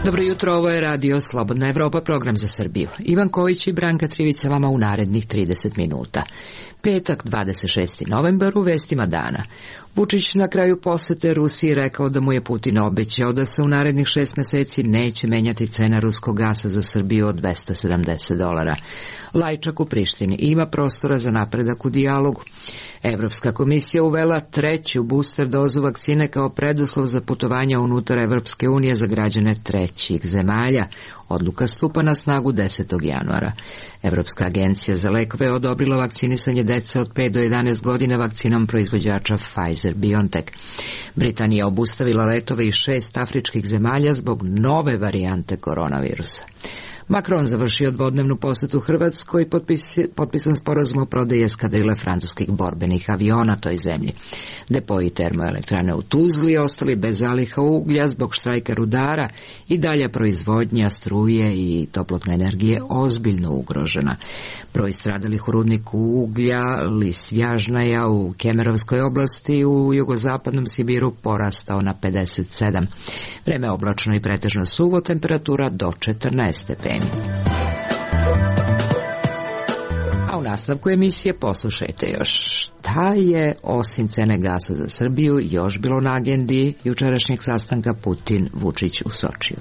Dobro jutro, ovo je Radio Slobodna Evropa, program za Srbiju. Ivan Kojić i Branka Trivica vama u narednih 30 minuta. Petak, 26. novembar, u vestima dana. Vučić na kraju posete Rusiji rekao da mu je Putin obećao da se u narednih 6 meseci neće menjati cena ruskog gasa za Srbiju od $270. Lajčak u Prištini ima prostora za napredak u dijalogu. Evropska komisija uvela 3. booster dozu vakcine kao preduslov za putovanja unutar Evropske unije za građane trećih zemalja. Odluka stupa na snagu 10. januara. Evropska agencija za lekove odobrila vakcinisanje dece od 5 do 11 godina vakcinom proizvođača Pfizer-BioNTech. Britanija obustavila letove iz 6 afričkih zemalja zbog nove varijante koronavirusa. Macron završio dvodnevnu posetu Hrvatskoj i potpisan sporazum o prodaji eskadrile francuskih borbenih aviona toj zemlji. Depoji termoelektrane u Tuzli ostali bez zaliha uglja zbog štrajka rudara i dalja proizvodnja struje i toplotne energije ozbiljno ugrožena. Broj stradalih u rudniku uglja Listvjažnaja u Kemerovskoj oblasti u jugozapadnom Sibiru porastao na 57. Vreme oblačno i pretežno suvo, temperatura do 14 stepeni. A u nastavku emisije poslušajte još šta je osim cene gasa za Srbiju još bilo na agendi jučerašnjeg sastanka Putin-Vučić u Sočiju.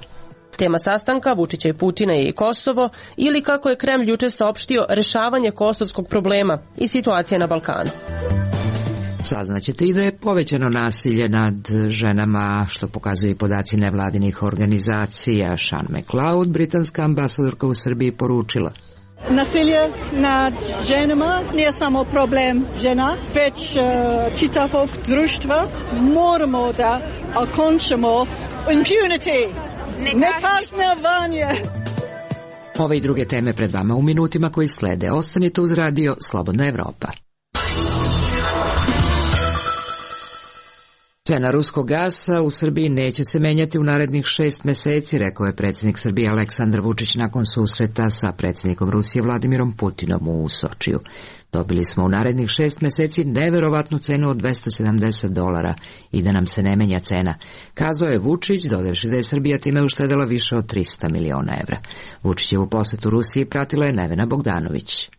Tema sastanka Vučića i Putina je i Kosovo ili, kako je Kremlj juče saopštio, rešavanje kosovskog problema i situacija na Balkanu. Saznaćete i da je povećano nasilje nad ženama, što pokazuju i podaci nevladinih organizacija. Sean McLeod, britanska ambasadorka u Srbiji, poručila: Nasilje nad ženama nije samo problem žena, već čitavog društva. Moramo da okončamo impunity, nekažnjavanje. Ove i druge teme pred vama u minutima koji slede. Ostanite uz Radio Slobodna Evropa. Cena ruskog gasa u Srbiji neće se menjati u narednih 6 meseci, rekao je predsjednik Srbije Aleksandar Vučić nakon susreta sa predsjednikom Rusije Vladimirom Putinom u Sočiju. Dobili smo u narednih 6 meseci neverovatnu cenu od $270 i da nam se ne menja cena, kazao je Vučić, dodavši da je Srbija time uštedela više od 300 miliona evra. Vučićevu posetu Rusiji pratila je Nevena Bogdanović.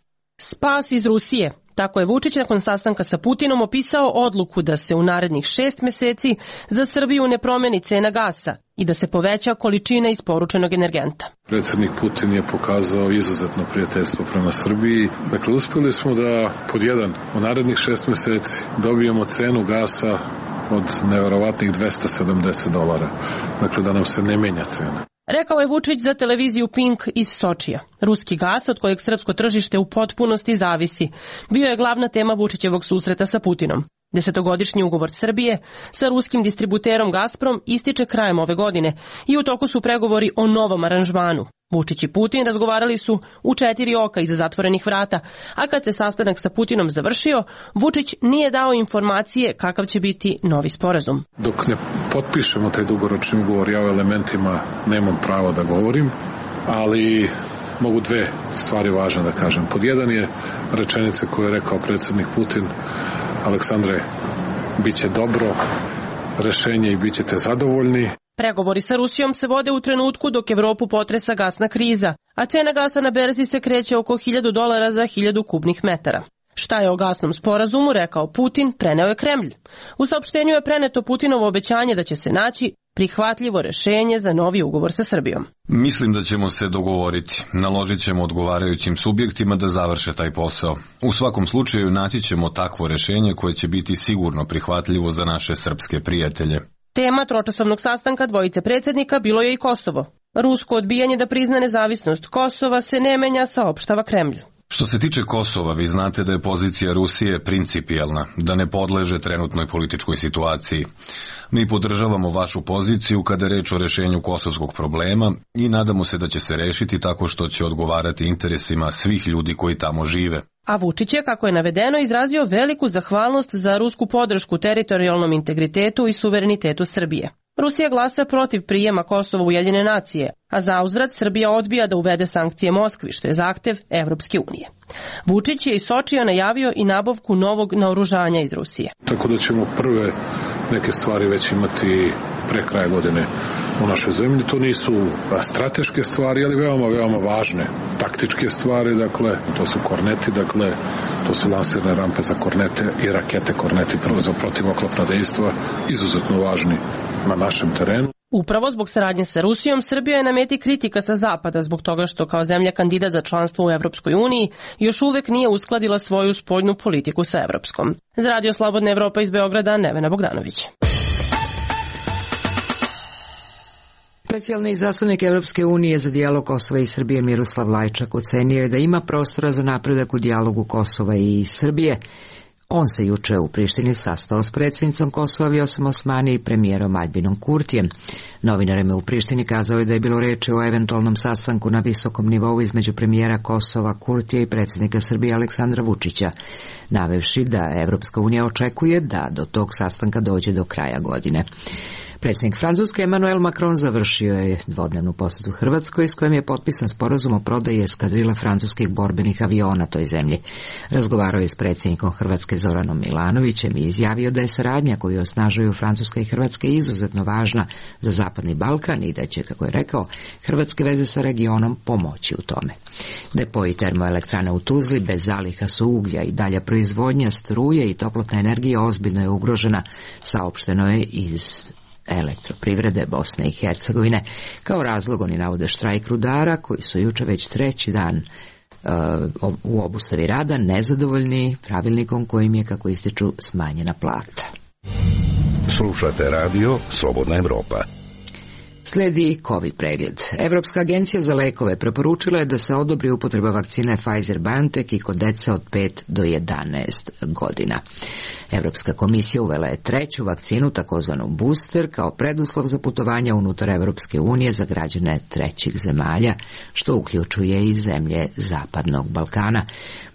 Spas iz Rusije. Tako je Vučić nakon sastanka sa Putinom opisao odluku da se u narednih 6 meseci za Srbiju ne promeni cena gasa i da se poveća količina isporučenog energenta. Predsjednik Putin je pokazao izuzetno prijateljstvo prema Srbiji. Dakle, uspjeli smo da pod jedan u narednih 6 meseci dobijemo cenu gasa od neverovatnih $270. Dakle, da nam se ne menja cena. Rekao je Vučić za televiziju Pink iz Sočija. Ruski gas, od kojeg srpsko tržište u potpunosti zavisi, bio je glavna tema Vučićevog susreta sa Putinom. 10-godišnji ugovor Srbije sa ruskim distributerom Gazprom ističe krajem ove godine i u toku su pregovori o novom aranžmanu. Vučić i Putin razgovarali su u 4 oka iza zatvorenih vrata, a kad se sastanak sa Putinom završio, Vučić nije dao informacije kakav će biti novi sporazum. Dok ne potpišemo taj dugoročni ugovor, ja o elementima nemam pravo da govorim, ali mogu dve stvari važne da kažem. Pod jedan je rečenica koju je rekao predsjednik Putin: Aleksandre, bit će dobro rešenje i bit ćete zadovoljni. Pregovori sa Rusijom se vode u trenutku dok Evropu potresa gasna kriza, a cena gasa na berzi se kreće oko $1000 za 1000 kubnih metara. Šta je o gasnom sporazumu rekao Putin, preneo je Kremlj. U saopštenju je preneto Putinovo obećanje da će se naći prihvatljivo rešenje za novi ugovor sa Srbijom. Mislim da ćemo se dogovoriti. Naložit ćemo odgovarajućim subjektima da završe taj posao. U svakom slučaju naći ćemo takvo rešenje koje će biti sigurno prihvatljivo za naše srpske prijatelje. Tema tročasovnog sastanka dvojice predsjednika bilo je i Kosovo. Rusko odbijanje da prizna nezavisnost Kosova se ne menja, saopštava Kremlj. Što se tiče Kosova, vi znate da je pozicija Rusije principijelna, da ne podleže trenutnoj političkoj situaciji. Mi podržavamo vašu poziciju kada je reč o rešenju kosovskog problema i nadamo se da će se rešiti tako što će odgovarati interesima svih ljudi koji tamo žive. A Vučić je, kako je navedeno, izrazio veliku zahvalnost za rusku podršku teritorijalnom integritetu i suverenitetu Srbije. Rusija glasa protiv prijema Kosova u Ujedinjene nacije, a zauzvrat Srbija odbija da uvede sankcije Moskvi, što je zahtev Evropske unije. Vučić je iz Sočija najavio i nabavku novog naoružanja iz Rusije. Tako da ćemo prve neke stvari već imati pre kraja godine u našoj zemlji. To nisu strateške stvari, ali veoma važne taktičke stvari, dakle, to su korneti, dakle, to su lansirne rampe za kornete i rakete korneti za protivoklopna dejstva, izuzetno važni na našem terenu. Upravo zbog saradnje sa Rusijom, Srbija je na meti kritika sa zapada zbog toga što kao zemlja kandidat za članstvo u Evropskoj uniji još uvek nije uskladila svoju spoljnu politiku sa evropskom. Za Radio Slobodna Evropa iz Beograda, Nevena Bogdanović. Specijalni izaslanik Evropske unije za dijalog Kosova i Srbije Miroslav Lajčak ocenio je da ima prostora za napredak u dijalogu Kosova i Srbije. On se juče u Prištini sastao s predsjednicom Kosova Vjosom Osmani i premijerom Aljbinom Kurtijem. Novinarima u Prištini kazao je da je bilo reči o eventualnom sastanku na visokom nivou između premijera Kosova Kurtija i predsjednika Srbije Aleksandra Vučića, navevši da Evropska unija očekuje da do tog sastanka dođe do kraja godine. Predsjednik Francuske Emmanuel Macron završio je dvodnevnu posjetu Hrvatskoj s kojim je potpisan sporazum o prodaji eskadrila francuskih borbenih aviona toj zemlji. Razgovarao je s predsjednikom Hrvatske Zoranom Milanovićem i izjavio da je saradnja koju osnažuju Francuska i Hrvatska izuzetno važna za Zapadni Balkan i da će, kako je rekao, hrvatske veze sa regionom pomoći u tome. Depoji termoelektrane u Tuzli bez zaliha su uglja i dalja proizvodnja struje i toplotne energije ozbiljno je ugrožena, saopšteno je iz Elektroprivrede Bosne i Hercegovine. Kao razlog oni navode štrajk rudara koji su juče već treći dan u obustavi rada nezadovoljni pravilnikom kojim je, kako ističu, smanjena plata. Slušate radio Slobodna Evropa. Slijedi COVID pregled. Evropska agencija za lekove preporučila je da se odobri upotreba vakcine Pfizer-BioNTech i kod dece od 5 do 11 godina. Evropska komisija uvela je treću vakcinu, takozvanu booster, kao preduslov za putovanja unutar Evropske unije za građane trećih zemalja, što uključuje i zemlje Zapadnog Balkana.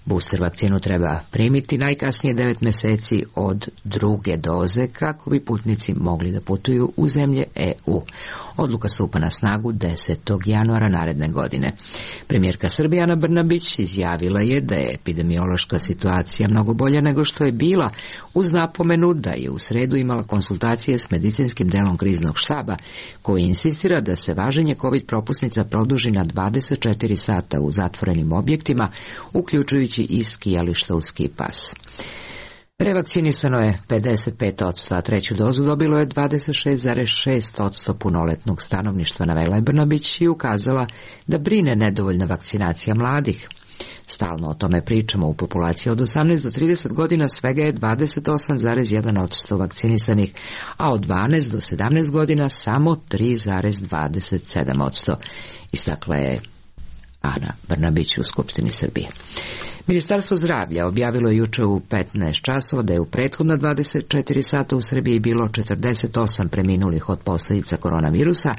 Booster vakcinu treba primiti najkasnije 9 mjeseci od druge doze kako bi putnici mogli da putuju u zemlje EU. Odluka stupa na snagu 10. januara naredne godine. Premijerka Srbije Ana Brnabić izjavila je da je epidemiološka situacija mnogo bolja nego što je bila, uz napomenu da je u sredu imala konsultacije s medicinskim delom kriznog štaba, koji insistira da se važenje COVID propusnica produži na 24 sata u zatvorenim objektima, uključujući i skijališta u ski pas. Revakcinisano je 55%, a treću dozu dobilo je 26,6% punoletnog stanovništva, navela je Brnabić i ukazala da brine nedovoljna vakcinacija mladih. Stalno o tome pričamo. U populaciji od 18 do 30 godina svega je 28,1% vakcinisanih, a od 12 do 17 godina samo 3,27%. Istakla je Ana Brnabić u Skupštini Srbije. Ministarstvo zdravlja objavilo je juče u 15 časova da je u prethodna 24 sata u Srbiji bilo 48 preminulih od posljedica koronavirusa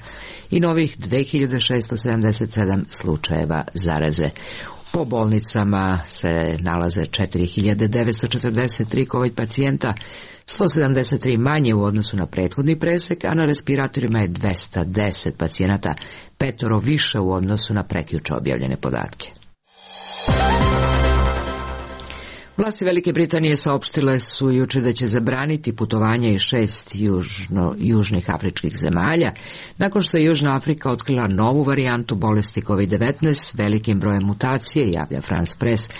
i novih 2677 slučajeva zaraze. Po bolnicama se nalaze 4943 COVID pacijenta, 173 manje u odnosu na prethodni presek, a na respiratorima je 210 pacijenata, 5 više u odnosu na prekjuče objavljene podatke. Vlasti Velike Britanije saopštile su juče da će zabraniti putovanje iz 6 južnih afričkih zemalja, nakon što je Južna Afrika otkrila novu varijantu bolesti COVID-19 s velikim brojem mutacije, javlja France Press.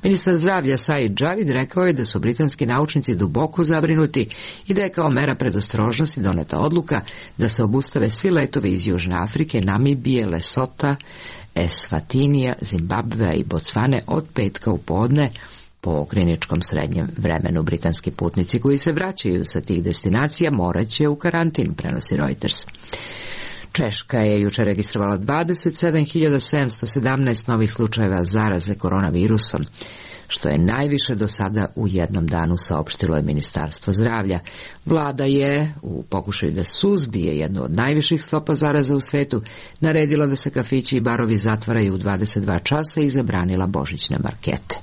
Ministar zdravlja Said Javid rekao je da su britanski naučnici duboko zabrinuti i da je kao mera predostrožnosti doneta odluka da se obustave svi letovi iz Južne Afrike, Namibije, Lesota, Eswatinija, Zimbabvea i Bocvane od petka u podne. Po kliničkom srednjem vremenu britanski putnici koji se vraćaju sa tih destinacija morat će u karantin, prenosi Reuters. Češka je juče registrovala 27.717 novih slučajeva zaraze koronavirusom, što je najviše do sada u jednom danu, saopštilo je Ministarstvo zdravlja. Vlada je, u pokušaju da suzbije jednu od najviših stopa zaraza u svetu, naredila da se kafići i barovi zatvaraju u 22 časa i zabranila božićne markete.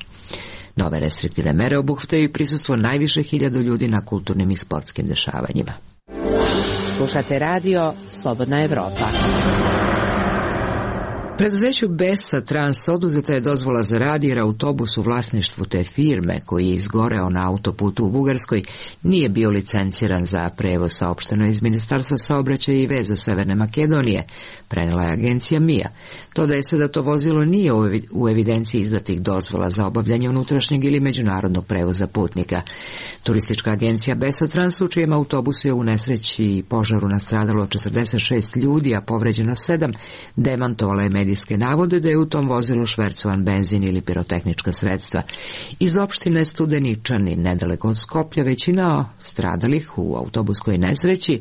Nove restriktivne mere obuhvataju i prisustvo najviše 1000 ljudi na kulturnim i sportskim dešavanjima. Slušate radio Slobodna Evropa. Preduzeću Besa Trans oduzeta je dozvola za rad jer autobus u vlasništvu te firme koji je izgoreo na autoputu u Bugarskoj nije bio licenciran za prevoz, saopšteno iz Ministarstva saobraćaja i veza Severne Makedonije, prenela je agencija MIA. Dodaje se da to vozilo nije u evidenciji izdatih dozvola za obavljanje unutrašnjeg ili međunarodnog prevoza putnika. Turistička agencija Besa Trans, u čijem autobusu je u nesreći i požaru nastradalo 46 ljudi, a povređeno 7, demantovala je medijske navode da je u tom vozilu švercovan benzin ili pirotehnička sredstva. Iz opštine Studeničani, nedaleko od Skoplja, većina stradalih u autobuskoj nesreći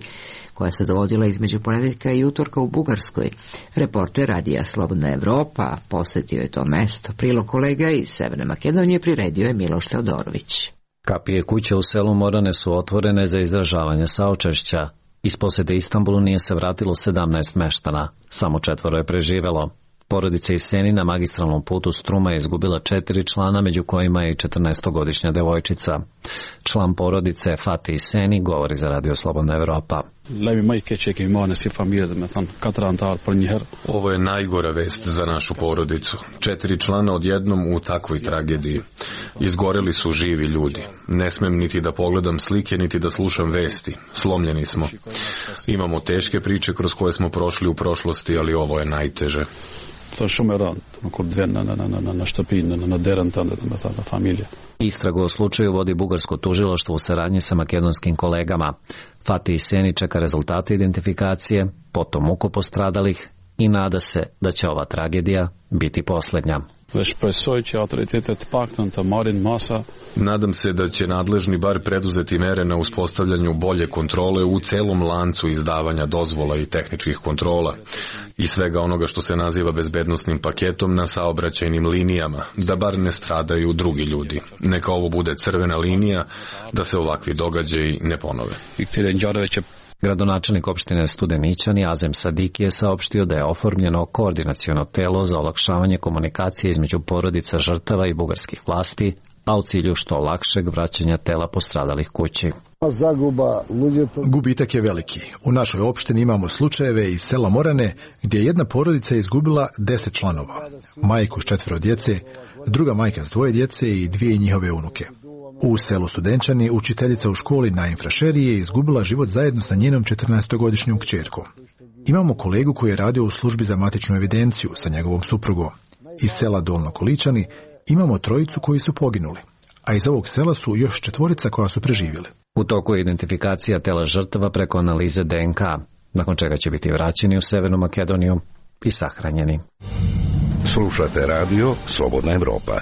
koja se dogodila između ponedeljka i utorka u Bugarskoj. Reporter radija Slobodna Evropa posetio je to mesto. Prilog kolega iz Severne Makedonije priredio je Miloš Teodorović. Kapije kuće u selu Morane su otvorene za izražavanje saučešća. Iz posete Istanbulu nije se vratilo 17 meštana, samo 4 je preživelo. Porodica iz Seni na magistralnom putu Struma je izgubila 4 člana, među kojima je i 14-godišnja devojčica. Član porodice Fatih Seni govori za Radio Slobodna Evropa. Ovo je najgora vest za našu porodicu. 4 člana odjednom u takvoj tragediji. Izgoreli su živi ljudi. Ne smem niti da pogledam slike, niti da slušam vesti. Slomljeni smo. Imamo teške priče kroz koje smo prošli u prošlosti, ali ovo je najteže. Istragu o slučaju vodi bugarsko tužilaštvo u saradnji sa makedonskim kolegama. Fatih Seni čeka rezultate identifikacije, potom ukop postradalih i nada se da će ova tragedija biti posljednja. Nadam se da će nadležni bar preduzeti mere na uspostavljanju bolje kontrole u celom lancu izdavanja dozvola i tehničkih kontrola i svega onoga što se naziva bezbednosnim paketom na saobraćajnim linijama, da bar ne stradaju drugi ljudi. Neka ovo bude crvena linija da se ovakvi događaji ne ponove. Gradonačelnik opštine Studeničani Azem Sadiki je saopštio da je oformljeno koordinaciono telo za olakšavanje komunikacije između porodica žrtava i bugarskih vlasti, a u cilju što lakšeg vraćanja tela postradalih kući. Gubitak je veliki. U našoj opštini imamo slučajeve iz sela Morane gdje je jedna porodica izgubila 10 članova. Majku s 4 djece, druga majka s 2 djece i 2 njihove unuke. U selu Studenčani učiteljica u školi na Infrašeri je izgubila život zajedno sa njenom 14-godišnjom kćerkom. Imamo kolegu koji je radio u službi za matičnu evidenciju sa njegovom suprugom. Iz sela Dolno Količani imamo 3 koji su poginuli, a iz ovog sela su još 4 koja su preživjeli. U toku je identifikacija tela žrtava preko analize DNK, nakon čega će biti vraćeni u Severnu Makedoniju i sahranjeni. Slušate radio Slobodna Evropa.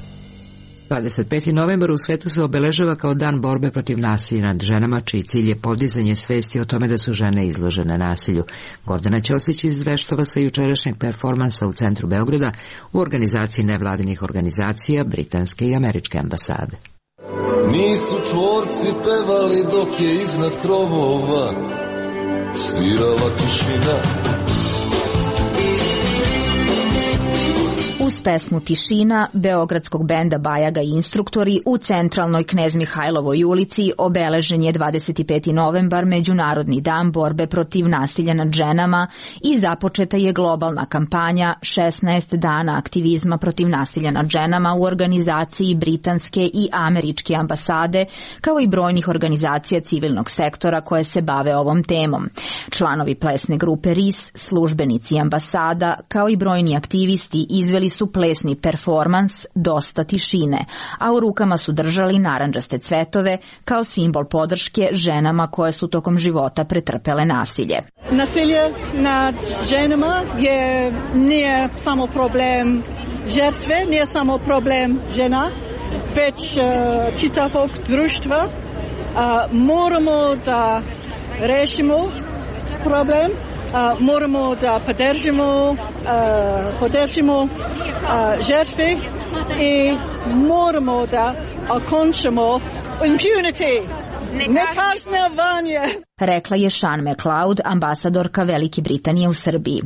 25. novembar u svetu se obeležava kao dan borbe protiv nasilja nad ženama, čiji cilj je podizanje svesti o tome da su žene izložene nasilju. Gordana Ćosić izveštava sa jučerašnjeg performansa u centru Beograda u organizaciji nevladinih organizacija britanske i američke ambasade. Nisu čvorci pevali dok je iznad krovova svirala tišina. Uz pesmu Tišina beogradskog benda Bajaga i instruktori u centralnoj Knez Mihajlovoj ulici obeležen je 25. novembar, Međunarodni dan borbe protiv nasilja nad ženama, i započeta je globalna kampanja 16 dana aktivizma protiv nasilja nad ženama u organizaciji britanske i američke ambasade, kao i brojnih organizacija civilnog sektora koje se bave ovom temom. Članovi plesne grupe RIS, službenici ambasada, kao i brojni aktivisti izveli su plesni performans Dosta tišine, a u rukama su držali narandžaste cvetove kao simbol podrške ženama koje su tokom života pretrpele nasilje. Nasilje nad ženama nije samo problem žrtve, nije samo problem žena, već čitavog društva. Moramo da rešimo problem. Moramo da podržimo žrtve i moramo da okončamo impunity, nekažnjavanje. rekla je Sean McLeod, ambasadorka Velike Britanije u Srbiji.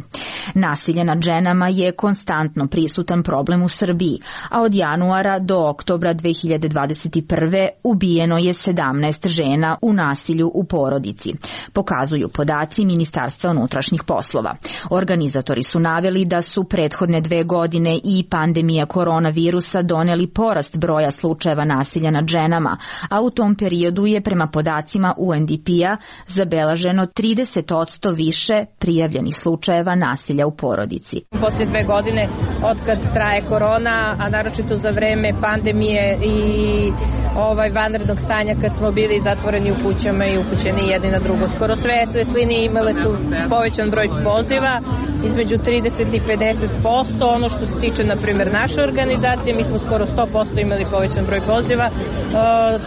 Nasilje nad ženama je konstantno prisutan problem u Srbiji, a od januara do oktobra 2021. ubijeno je 17 žena u nasilju u porodici, pokazuju podaci Ministarstva unutrašnjih poslova. Organizatori su naveli da su prethodne 2 godine i pandemija koronavirusa doneli porast broja slučajeva nasilja nad ženama, a u tom periodu je prema podacima UNDP-a zabeleženo 30% više prijavljenih slučajeva nasilja u porodici. Poslije 2 godine otkad traje korona, a naročito za vreme pandemije i vanrednog stanja kad smo bili zatvoreni u kućama i upućeni jedni na drugo. Skoro sve linije imale su povećan broj poziva, između 30 i 50%. Ono što se tiče, na primjer, naše organizacije, mi smo skoro 100% imali povećan broj poziva.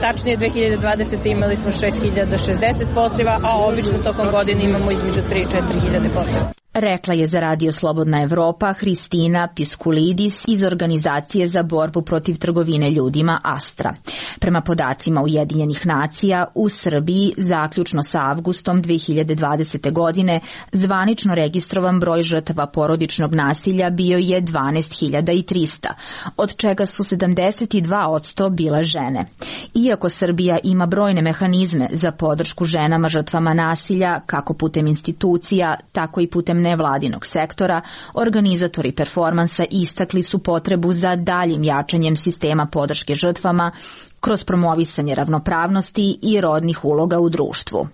Tačnije 2020. imali smo 6060 poziva, a obično tokom godine imamo između 3 i 4000 poziva. Rekla je za Radio Slobodna Evropa Hristina Piskulidis iz Organizacije za borbu protiv trgovine ljudima Astra. Prema podacima Ujedinjenih nacija, u Srbiji zaključno sa avgustom 2020. godine zvanično registrovan broj žrtava porodičnog nasilja bio je 12.300, od čega su 72% bile žene. Iako Srbija ima brojne mehanizme za podršku ženama žrtvama nasilja, kako putem institucija, tako i putem nevladinog sektora, organizatori performansa istakli su potrebu za daljim jačanjem sistema podrške žrtvama kroz promovisanje ravnopravnosti i rodnih uloga u društvu.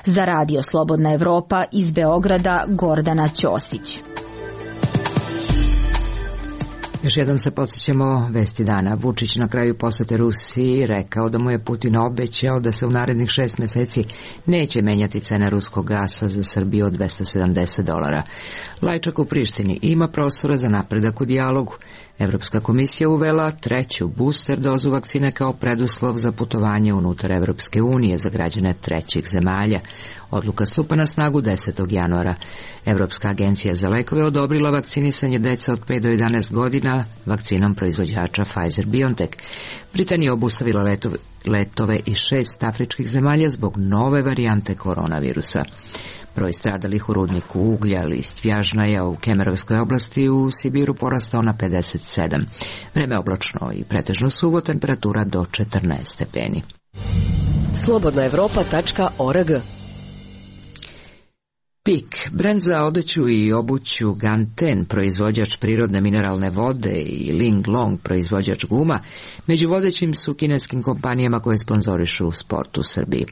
Za Radio Slobodna Evropa iz Beograda Gordana Ćosić. Još jednom se podsjećamo vesti dana. Vučić na kraju posete Rusiji rekao da mu je Putin obećao da se u narednih 6 meseci neće menjati cena ruskog gasa za Srbiju od $270. Lajčak u Prištini ima prostora za napredak u dijalogu. Evropska komisija uvela 3. booster dozu vakcine kao preduslov za putovanje unutar Evropske unije za građane trećih zemalja. Odluka stupa na snagu 10. januara. Evropska agencija za lekove odobrila vakcinisanje dece od 5 do 11 godina vakcinom proizvođača Pfizer-BioNTech. Britanija obustavila letove iz 6 afričkih zemalja zbog nove varijante koronavirusa. Broj stradalih u rudniku uglja list Vjažnaja u Kemerovskoj oblasti u Sibiru porastao na 57. Vreme oblačno i pretežno suvo, temperatura do 14 stepeni. Slobodnaevropa.org. PIK, brend za odeću i obuću Ganten, proizvođač prirodne mineralne vode, i Ling Long, proizvođač guma, među vodećim su kineskim kompanijama koje sponzorišu sport u Srbiji.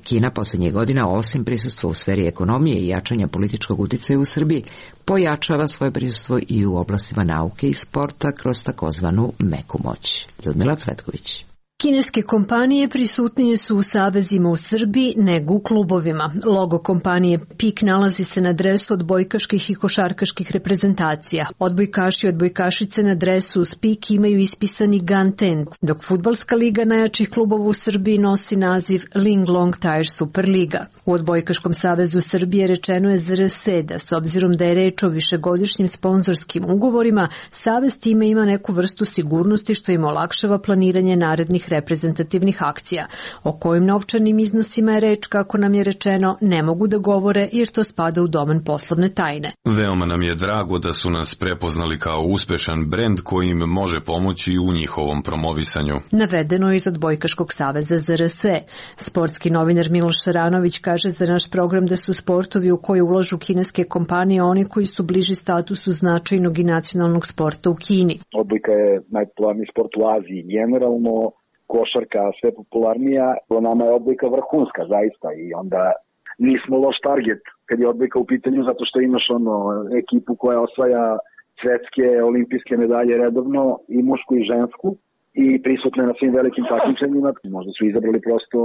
Kina posljednjih godina, osim prisustva u sferi ekonomije i jačanja političkog uticaja u Srbiji, pojačava svoje prisustvo i u oblastima nauke i sporta kroz takozvanu meku moć. Ljudmila Cvetković. Kineske kompanije prisutnije su u savezima u Srbiji nego u klubovima. Logo kompanije PIK nalazi se na dresu odbojkaških i košarkaških reprezentacija. Odbojkaši i odbojkašice na dresu uz PIK imaju ispisani Ganten, dok fudbalska liga najjačih klubova u Srbiji nosi naziv Ling Long Tire Superliga. U Odbojkaškom savezu Srbije rečeno je ZRS da, s obzirom da je reč o višegodišnjim sponzorskim ugovorima, savez time ima neku vrstu sigurnosti što im olakšava planiranje narednih reprezentativnih akcija. O kojim novčanim iznosima je reč, kako nam je rečeno, ne mogu da govore jer to spada u domen poslovne tajne. Veoma nam je drago da su nas prepoznali kao uspešan brend koji im može pomoći u njihovom promovisanju. Navedeno je iz Odbojkaškog saveza ZRS. Sportski novinar Miloš Šaranović kaže za naš program da su sportovi u koje ulažu kineske kompanije oni koji su bliži statusu značajnog i nacionalnog sporta u Kini. Odbojka je najpopularniji sport u Aziji generalno, košarka sve popularnija, nama je odbojka vrhunska zaista i onda nismo loš target kad je odbojka u pitanju zato što imaš ekipu koja osvaja svetske olimpijske medalje redovno i mušku i žensku i prisutne na svim velikim takmičenjima. Možda su izabrali prosto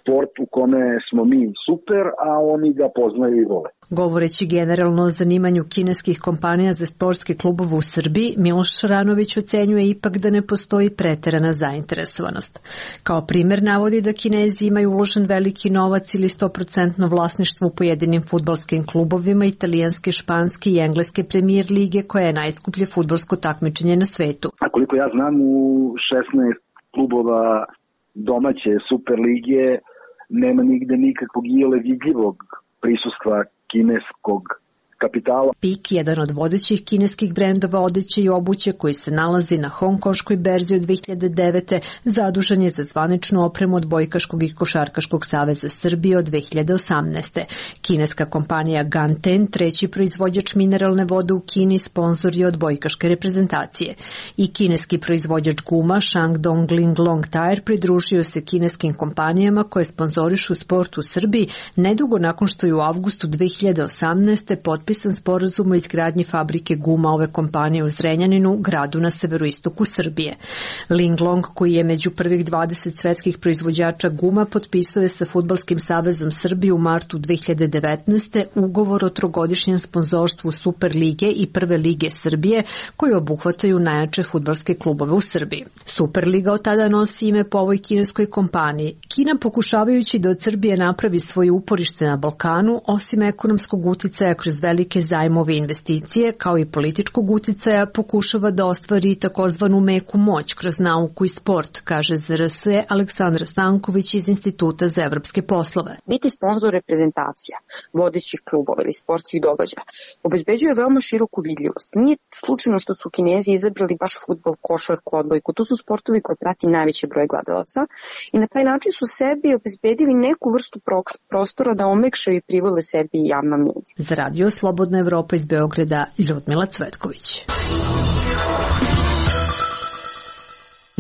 sport u kome smo mi super, a oni ga poznaju i vole. Govoreći generalno o zanimanju kineskih kompanija za sportske klubove u Srbiji, Miloš Šaranović ocenjuje ipak da ne postoji preterana zainteresovanost. Kao primer navodi da Kinezi imaju uložen veliki novac ili 100% vlasništvo u pojedinim fudbalskim klubovima italijanske, španske i engleske premijer lige, koja je najskuplje fudbalsko takmičenje na svetu. A koliko ja znam, u 16 klubova domaće Super lige nema nigde nikakvog iole vidljivog prisustva kineskog kapitala. PIK, jedan od vodećih kineskih brendova odeće i obuće koji se nalazi na hongkonškoj berzi od 2009. zadužen je za zvaničnu opremu Odbojkaškog i Košarkaškog saveza Srbije od 2018. Kineska kompanija Ganten, treći proizvođač mineralne vode u Kini, sponzor je odbojkaške reprezentacije. I kineski proizvođač guma Shandong Linglong Tire pridružio se kineskim kompanijama koje sponzorišu sport u Srbiji nedugo nakon što je u avgustu 2018. potpisan sporazum o izgradnji fabrike guma ove kompanije u Zrenjaninu, gradu na severoistoku Srbije. Linglong, koji je među prvih 20 svetskih proizvođača guma, potpisao je sa Fudbalskim savezom Srbije u martu 2019. ugovor o trogodišnjem sponzorstvu Super lige i Prve lige Srbije, koji obuhvataju najjače fudbalske klubove u Srbiji. Super liga od tada nosi ime po ovoj kineskoj kompaniji. Kina, pokušavajući da od Srbije napravi svoje uporište na Balkanu, osim ekonomskog uticaja kroz velike zajmove i investicije, kao i političkog uticaja, pokušava da ostvari takozvanu meku moć kroz nauku i sport, kaže ZRS Aleksandra Stanković iz Instituta za evropske poslove. Biti sponzor reprezentacija, vodećih klubova ili sportskih događaja obezbeđuje veoma široku vidljivost. Nije slučajno što su Kinezi izabrali baš fudbal, košarku, odbojku. To su sportovi koje prati najveći broj gledalaca i na taj način su sebi obezbedili neku vrstu prostora da omekšaju i privole sebi javna medija. Za Radio Slobodna Evropa iz Beograda, Ljudmila Cvetković.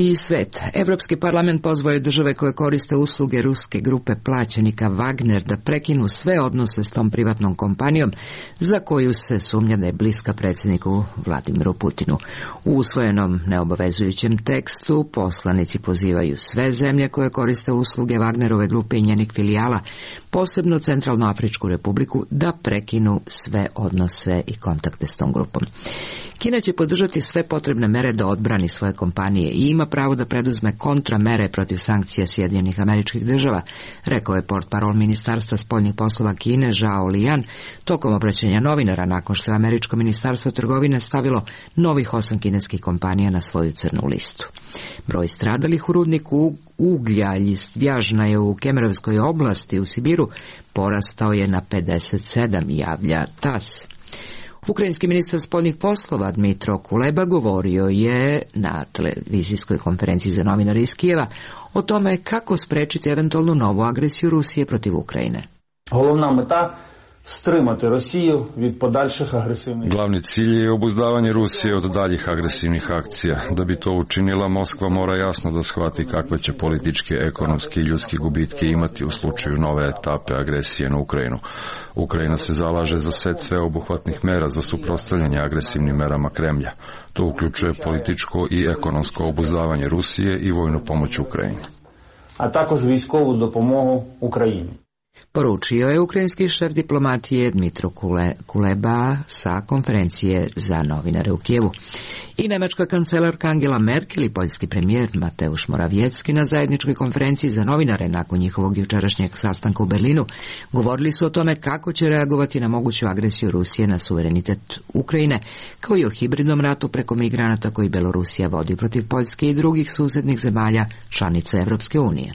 I svet. Evropski parlament pozvao je države koje koriste usluge ruske grupe plaćenika Wagner da prekinu sve odnose s tom privatnom kompanijom za koju se sumnja da je bliska predsjedniku Vladimiru Putinu. U usvojenom neobavezujućem tekstu poslanici pozivaju sve zemlje koje koriste usluge Wagnerove grupe i njenih filijala, posebno Centralnoafričku republiku, da prekinu sve odnose i kontakte s tom grupom. Kina će podržati sve potrebne mere da odbrani svoje kompanije i ima pravo da preduzme kontramere protiv sankcija Sjedinjenih Američkih Država, rekao je portparol Ministarstva spoljnih poslova Kine Zhao Lijan tokom obraćanja novinara nakon što je Američko ministarstvo trgovine stavilo novih 8 kineskih kompanija na svoju crnu listu. Broj stradalih u rudniku uglja Ljistvjažna je u Kemerovskoj oblasti u Sibiru porastao je na 57, javlja TASS. Ukrajinski ministar spoljnih poslova Dmitro Kuleba govorio je na televizijskoj konferenciji za novinare iz Kijeva o tome kako sprečiti eventualnu novu agresiju Rusije protiv Ukrajine. Головна мета strimati Rusiju від подальших agresivnih. Glavni cilj je obuzdavanje Rusije od daljih agresivnih akcija. Da bi to učinila, Moskva mora jasno da shvati kakve će političke, ekonomske i ljudske gubitke imati u slučaju nove etape agresije na Ukrajinu. Ukrajina se zalaže za set sveobuhvatnih mera za suprotstavljanje agresivnim merama Kremlja. To uključuje političko i ekonomsko obuzdavanje Rusije i vojnu pomoć Ukrajini. A također vojskovu dopomogu Ukrajini. Poručio je ukrajinski šef diplomatije Dmitro Kuleba sa konferencije za novinare u Kijevu. I nemačka kancelarka Angela Merkel i poljski premijer Mateusz Morawiecki na zajedničkoj konferenciji za novinare nakon njihovog jučerašnjeg sastanka u Berlinu govorili su o tome kako će reagovati na moguću agresiju Rusije na suverenitet Ukrajine, kao i o hibridnom ratu preko migranata koji Belorusija vodi protiv Poljske i drugih susjednih zemalja članica Evropske unije.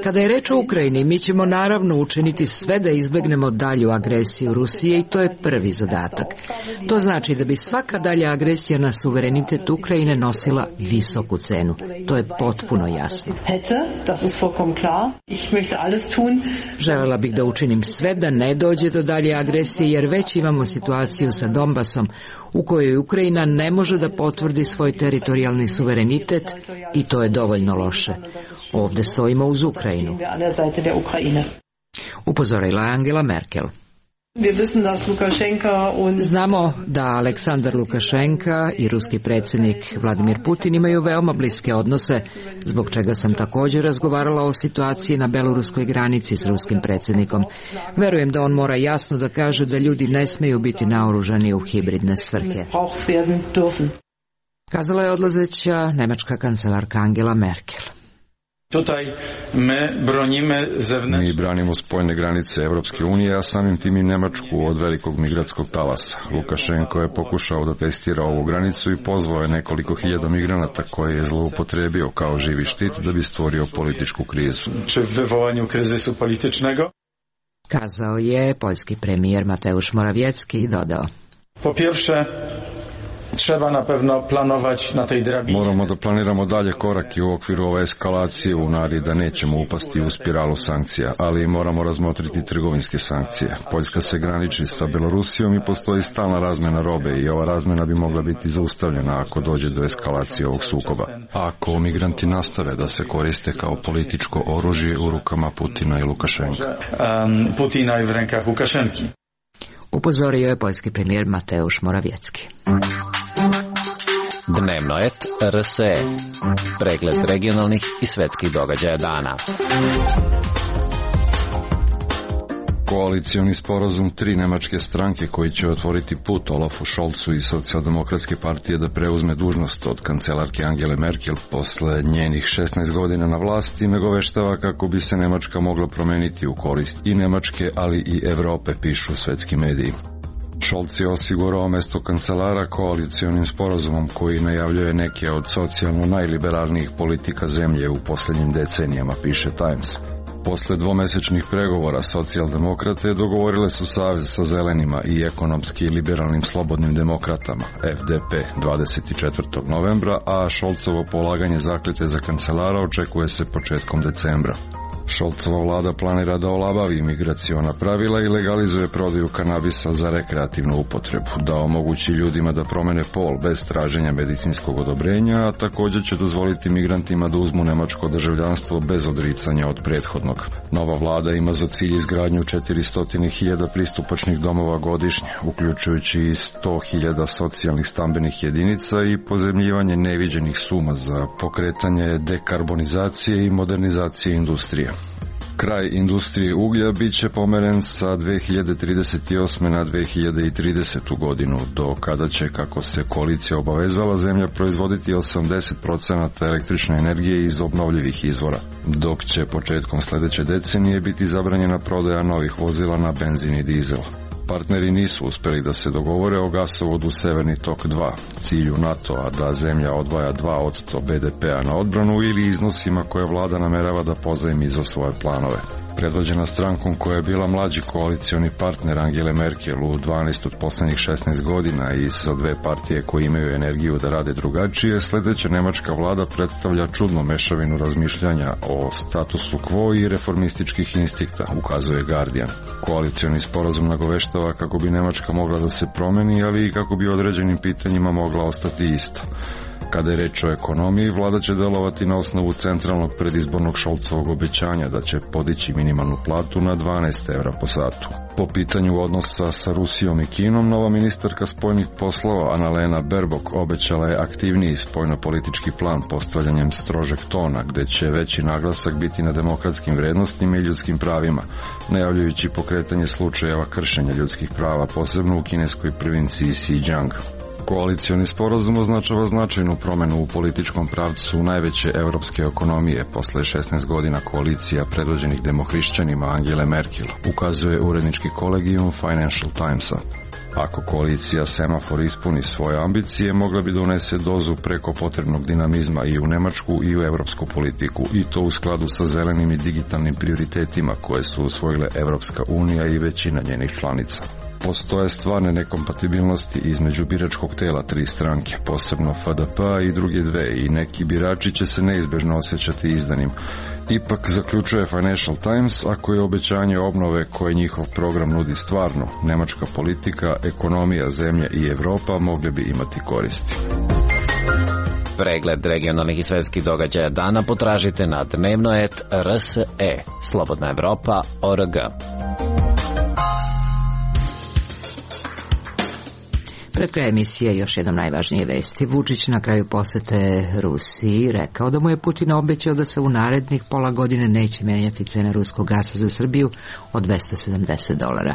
Kada je reč o Ukrajini, mi ćemo naravno učiniti sve da izbegnemo dalju agresiju Rusije i to je prvi zadatak. To znači da bi svaka dalja agresija na suverenitet Ukrajine nosila visoku cenu. To je potpuno jasno. Želela bih da učinim sve da ne dođe do dalje agresije jer već imamo situaciju sa Donbasom u kojoj Ukrajina ne može da potvrdi svoj teritorijalni suverenitet i to je dovoljno loše. Ovdje stojimo uz Ukrajinu. Upozorila je Angela Merkel. Znamo da Aleksandar Lukašenka i ruski predsjednik Vladimir Putin imaju veoma bliske odnose, zbog čega sam također razgovarala o situaciji na beloruskoj granici s ruskim predsjednikom. Verujem da on mora jasno da kaže da ljudi ne smeju biti naoružani u hibridne svrhe. Kazala je odlazeća nemačka kancelarka Angela Merkel. Mi branimo spoljne granice Evropske unije, a samim tim i Nemačku od velikog migratskog talasa. Lukašenko je pokušao da testira ovu granicu i pozvao je nekoliko hiljada migranata koje je zloupotrebio kao živi štit da bi stvorio političku krizu. Kazao je poljski premijer Mateusz Morawiecki i dodao: Moramo da planiramo dalje korake u okviru ove eskalacije u nadi da nećemo upasti u spiralu sankcija, ali moramo razmotriti trgovinske sankcije. Poljska se graniči sa Belorusijom i postoji stalna razmena robe i ova razmena bi mogla biti zaustavljena ako dođe do eskalacije ovog sukoba. Ako migranti nastave da se koriste kao političko oružje u rukama Putina i Lukašenka. Upozorio je poljski premijer Mateusz Morawiecki. Dnevno et RSE. Pregled regionalnih i svetskih događaja dana. Koalicioni sporazum 3 nemačke stranke koji će otvoriti put Olafu Scholzu iz Socijaldemokratske partije da preuzme dužnost od kancelarke Angele Merkel posle njenih 16 godina na vlasti nagoveštava kako bi se Nemačka mogla promeniti u korist i Nemačke, ali i Evrope, pišu svetski mediji. Scholz je osigurao mesto kancelara koalicionim sporazumom koji najavljuje neke od socijalno najliberalnijih politika zemlje u posljednjim decenijama, piše Times. Posle dvomesečnih pregovora socijaldemokrate dogovorile su savez sa zelenima i ekonomski liberalnim slobodnim demokratama, FDP, 24. novembra, a Scholzovo polaganje zakljete za kancelara očekuje se početkom decembra. Scholzova vlada planira da olabavi migraciona pravila i legalizuje prodaju kanabisa za rekreativnu upotrebu, da omogući ljudima da promene pol bez traženja medicinskog odobrenja, a također će dozvoliti migrantima da uzmu nemačko državljanstvo bez odricanja od prethodnog. Nova vlada ima za cilj izgradnju 400.000 pristupačnih domova godišnje, uključujući i 100.000 socijalnih stambenih jedinica i pozemljivanje neviđenih suma za pokretanje dekarbonizacije i modernizacije industrije. Kraj industrije uglja bit će pomeren sa 2038. na 2030. godinu, do kada će, kako se koalicija obavezala, zemlja proizvoditi 80% električne energije iz obnovljivih izvora, dok će početkom sljedeće decenije biti zabranjena prodaja novih vozila na benzin i dizel. Partneri nisu uspeli da se dogovore o gasovodu Severni tok 2, cilju NATO-a da zemlja odvaja 2% BDP-a na odbranu ili iznosima koje vlada namerava da pozajmi za svoje planove. Predvođena strankom koja je bila mlađi koalicioni partner Angele Merkel u 12 od poslednjih 16 godina i sa 2 partije koje imaju energiju da rade drugačije, sljedeća nemačka vlada predstavlja čudnu mešavinu razmišljanja o statusu quo i reformističkih instinkta, ukazuje Guardian. Koalicioni sporazum nagoveštava kako bi Nemačka mogla da se promeni, ali i kako bi određenim pitanjima mogla ostati ista. Kada je reč o ekonomiji, vlada će delovati na osnovu centralnog predizbornog Scholzovog obećanja da će podići minimalnu platu na 12 evra po satu. Po pitanju odnosa sa Rusijom i Kinom, nova ministarka spoljnih poslova Annalena Baerbock obećala je aktivniji spoljnopolitički plan postavljanjem strožeg tona, gde će veći naglasak biti na demokratskim vrednostima i ljudskim pravima, najavljujući pokretanje slučajeva kršenja ljudskih prava, posebno u kineskoj provinciji Xinjiang. Koalicioni sporazum označava značajnu promenu u političkom pravcu najveće evropske ekonomije posle 16 godina koalicija predvođenih demohrišćanima Angele Merkel, ukazuje urednički kolegijum Financial Timesa. Ako koalicija Semafor ispuni svoje ambicije, mogla bi da unese dozu preko potrebnog dinamizma i u nemačku i u evropsku politiku, i to u skladu sa zelenim i digitalnim prioritetima koje su usvojile Evropska unija i većina njenih članica. Postoje stvarne nekompatibilnosti između biračkog tela 3 stranke, posebno FDP i druge 2, i neki birači će se neizbežno osjećati izdanim. Ipak, zaključuje Financial Times, ako je obećanje obnove koje njihov program nudi stvarno, nemačka politika, ekonomija zemlje i Evropa mogli bi imati koristi. Pregled regionalnih i svetskih događaja dana potražite na dnevno.rs.e, Slobodna Evropa.org. Pred kraj emisije još jednom najvažnije vesti. Vučić na kraju posete Rusiji rekao da mu je Putin obećao da se u narednih pola godine neće menjati cena ruskog gasa za Srbiju od $270.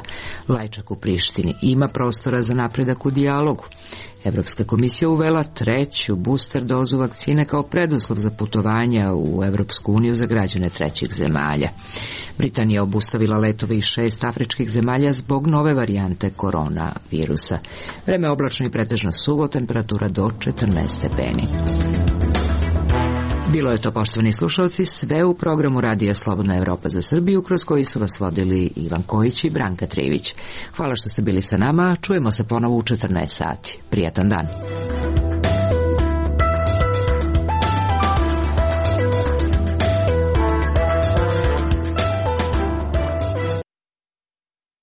Lajčak u Prištini ima prostora za napredak u dijalogu. Evropska komisija uvela 3. booster dozu vakcine kao preduslov za putovanja u Evropsku uniju za građane trećih zemalja. Britanija obustavila letove iz 6 afričkih zemalja zbog nove varijante koronavirusa. Vreme oblačno i pretežno suvo, temperatura do 14 stepeni. Bilo je to, poštovani slušalci, sve u programu Radija Slobodna Evropa za Srbiju, kroz koji su vas vodili Ivan Kojić i Branka Trivić. Hvala što ste bili sa nama, čujemo se ponovo u 14 sati. Prijatan dan.